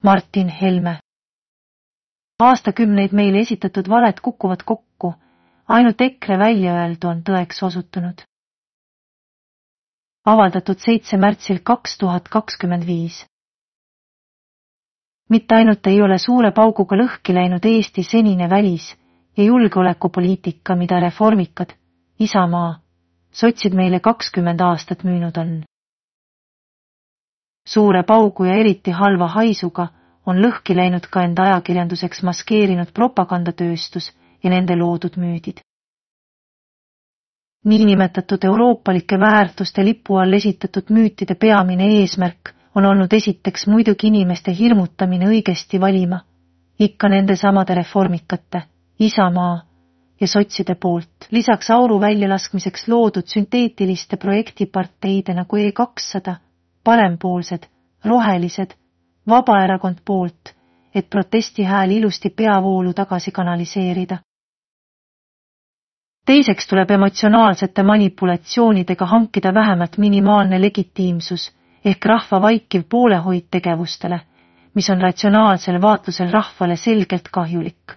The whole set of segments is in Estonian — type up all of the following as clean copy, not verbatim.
Martin Helme. Aastakümneid meile esitatud valed kukuvad kokku, ainult EKRE väljaöeldu on tõeks osutunud. Avaldatud 7. märtsil 2025. Mitte ainult ei ole suure pauguga lõhki läinud Eesti senine välis- ja julgeolekupoliitika, mida reformikad, Isamaa, sotsid meile 20 aastat müünud on. Suure paugu ja eriti halva haisuga on lõhki läinud ka enda ajakirjanduseks maskeerinud propagandatööstus ja nende loodud müüdid. Niinimetatud euroopalike väärtuste lipu all esitatud müütide peamine eesmärk on olnud esiteks muidugi inimeste hirmutamine õigesti valima, ikka nende samade reformikate, Isamaa ja sotside poolt, lisaks auru väljalaskmiseks loodud sünteetiliste projektiparteide nagu E200, parempoolsed, rohelised, Vabaerakond poolt, et protestihääl ilusti peavoolu tagasi kanaliseerida. Teiseks tuleb emotsionaalsete manipulatsioonidega hankida vähemalt minimaalne legitiimsus ehk rahva vaikiv poolehoid tegevustele, mis on ratsionaalsel vaatlusel rahvale selgelt kahjulik.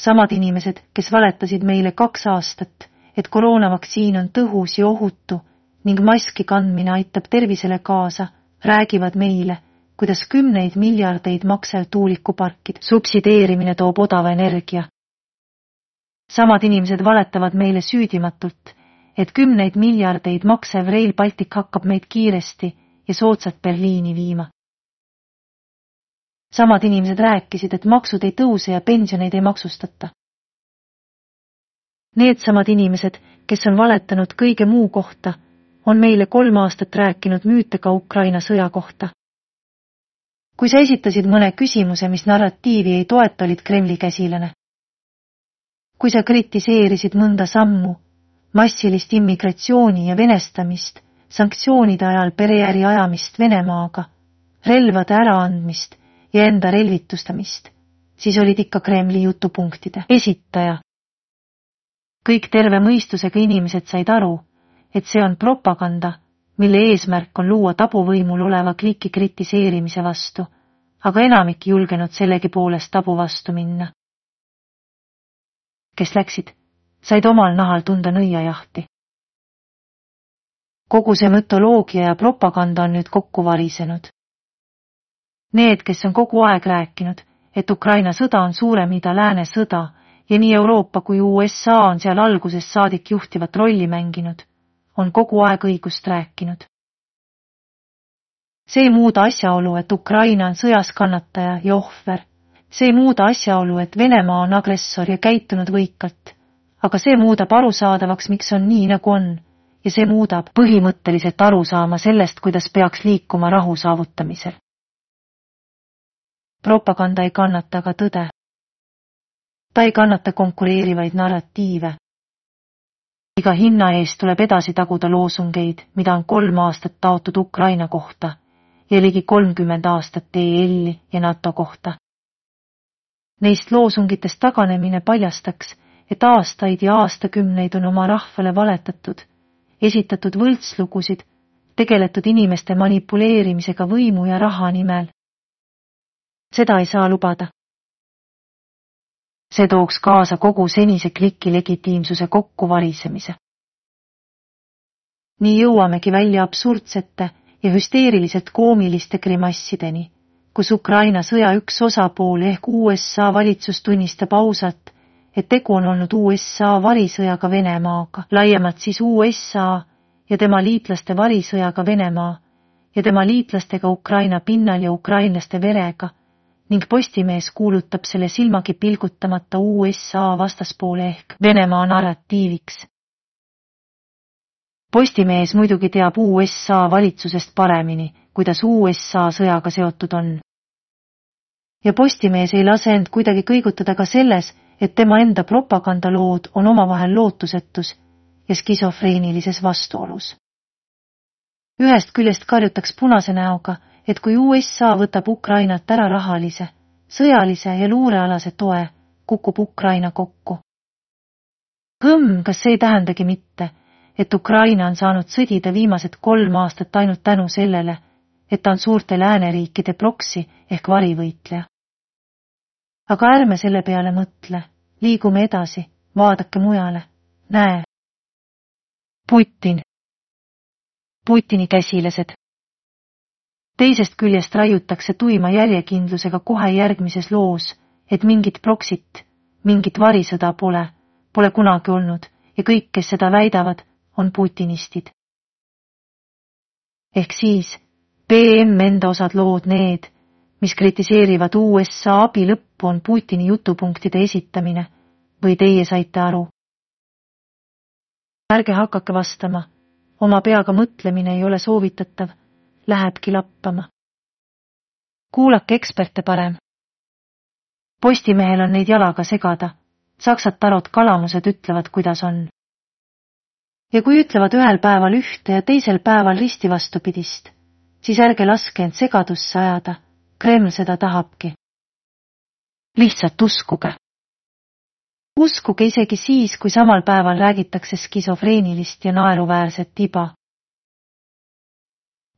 Samad inimesed, kes valetasid meile 2 aastat, et koroonavaktsiin on tõhus ja ohutu ning maski kandmine aitab tervisele kaasa, räägivad meile, kuidas 10 miljardeid maksev tuulikuparkid subsideerimine toob odava energia. Samad inimesed valetavad meile süüdimatult, et 10 miljardeid maksev Rail Baltic hakkab meid kiiresti ja soodsalt Berliini viima. Samad inimesed rääkisid, et maksud ei tõuse ja pensioneid ei maksustata. Needsamad inimesed, kes on valetanud kõige muu kohta, on meile 3 aastat rääkinud müüte ka Ukraina sõja kohta. Kui sa esitasid mõne küsimuse, mis narratiivi ei toeta, olid Kremli käsilane. Kui sa kritiseerisid mõnda sammu, massilist immigratsiooni ja venestamist, sanktsioonide ajal pereäri ajamist Venemaaga, relvade äraandmist ja enda relvitustamist, siis olid ikka Kremli jutupunktide esitaja. Kõik terve mõistusega inimesed said aru, et see on propaganda, mille eesmärk on luua tabuvõimul oleva kliki kritiseerimise vastu, aga enamik julgenud sellegi poolest tabu vastu minna. Kes läksid, said omal nahal tunda nõiajahti. Kogu see mütoloogia ja propaganda on nüüd kokku varisenud. Need, kes on kogu aeg rääkinud, et Ukraina sõda on suurem ida lääne sõda ja nii Euroopa kui USA on seal algusest saadik juhtivat rolli mänginud, on kogu aeg õigust rääkinud. See ei muuda asjaolu, et Ukraina on sõjas kannataja ja ohver. See ei muuda asjaolu, et Venemaa on agressor ja käitunud võikalt, aga see muudab arusaadavaks, miks on nii, nagu on, ja see muudab põhimõtteliselt arusaama sellest, kuidas peaks liikuma rahu saavutamisel. Propaganda ei kannata aga tõde. Ta ei kannata konkureerivaid narratiive. Iga hinna eest tuleb edasi taguda loosungeid, mida on 3 aastat taotud Ukraina kohta ja ligi 30 aastat EL-i ja NATO kohta. Neist loosungitest taganemine paljastaks, et aastaid ja aastakümneid on oma rahvale valetatud, esitatud võltslugusid, tegeletud inimeste manipuleerimisega võimu ja raha nimel. Seda ei saa lubada. See tooks kaasa kogu senise kliki legitiimsuse kokkuvarisemise. Nii jõuamegi välja absurdsete ja hüsteeriliselt koomiliste grimassideni, kus Ukraina sõja üks osapool ehk USA valitsus tunnistab ausalt, et tegu on olnud USA varisõjaga Venemaaga, laiemalt siis USA ja tema liitlaste varisõjaga Venemaa ja tema liitlastega Ukraina pinnal ja ukrainlaste verega, ning Postimees kuulutab selle silmagi pilgutamata USA vastaspoole ehk Venemaa narratiiviks. Postimees muidugi teab USA valitsusest paremini, kuidas USA sõjaga seotud on. Ja Postimees ei lase end kuidagi kõigutada ka selles, et tema enda propagandalood on omavahel lootusetus ja skisofreenilises vastuolus. Ühest küljest karjutaks punase näoga, et kui USA võtab Ukrainat ära rahalise, sõjalise ja luurealase toe, kukub Ukraina kokku. Kas see ei tähendagi mitte, et Ukraina on saanud sõdida viimased 3 aastat ainult tänu sellele, et ta on suurte lääneriikide proksi ehk varivõitleja. Aga ärme selle peale mõtle, liigume edasi, vaadake mujale, näe. Putini käsilased. Teisest küljest raiutakse tuima järjekindlusega kohe järgmises loos, et mingit proksit, mingit varisõda pole kunagi olnud ja kõik, kes seda väidavad, on putinistid. Ehk siis, BM enda osad lood need, mis kritiseerivad USA abi lõppu on Putini jutupunktide esitamine, või teie saite aru? Ärge hakake vastama, oma peaga mõtlemine ei ole soovitatav, lähebki lappama. Kuulake eksperte parem. Postimehel on neid jalaga segada, saksad tarot kalamused ütlevad, kuidas on. Ja kui ütlevad ühel päeval ühte ja teisel päeval risti vastupidist, siis ärge laske end segadusse ajada, Kreml seda tahabki. Lihtsalt uskuge. Uskuge isegi siis, kui samal päeval räägitakse skisofreenilist ja naeruväärset tiba.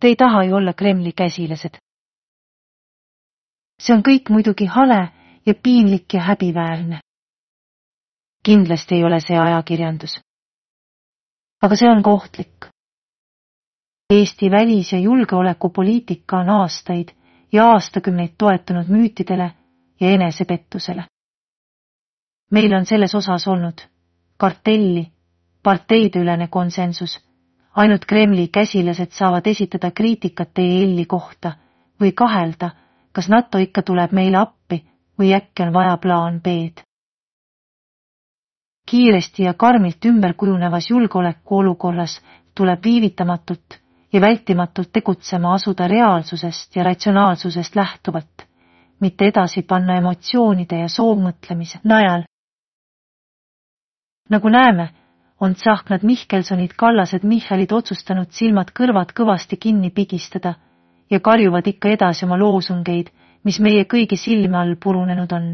Te ei taha ju olla Kremli käsilased. See on kõik muidugi hale ja piinlik ja häbiväärne. Kindlasti ei ole see ajakirjandus. Aga see on kohtlik. Eesti välis- ja julgeolekupoliitika on aastaid ja aastakümneid toetunud müütidele ja enesepettusele. Meil on selles osas olnud kartelli, parteideülene konsensus, ainult Kremli käsilased saavad esitada kriitikat EL-i kohta või kahelda, kas NATO ikka tuleb meile appi või äkki on vaja plaan B-d. Kiiresti ja karmilt ümber kujunevas julgeolekuolukorras tuleb viivitamatult ja vältimatult tegutsema asuda reaalsusest ja ratsionaalsusest lähtuvalt, mitte edasi panna emotsioonide ja soovmõtlemise najal. Nagu näeme, on Tsahknad Mihkelsonid Kallased Michalid otsustanud silmad-kõrvad kõvasti kinni pigistada ja karjuvad ikka edasi oma loosungeid, mis meie kõigi silme all purunenud on.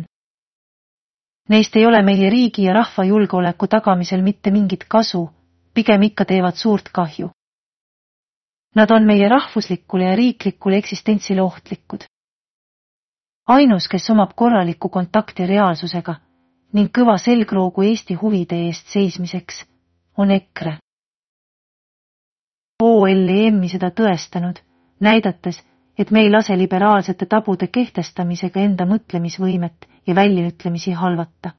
Neist ei ole meie riigi ja rahva julgeoleku tagamisel mitte mingit kasu, pigem ikka teevad suurt kahju. Nad on meie rahvuslikule ja riiklikule eksistentsile ohtlikud. Ainus, kes omab korralikku kontakti reaalsusega ning kõva selgroogu Eesti huvide eest seismiseks, on EKRE. OLEM-i seda tõestanud, näidates, et me ei lase liberaalsete tabude kehtestamisega enda mõtlemisvõimet ja väljaütlemisi halvata.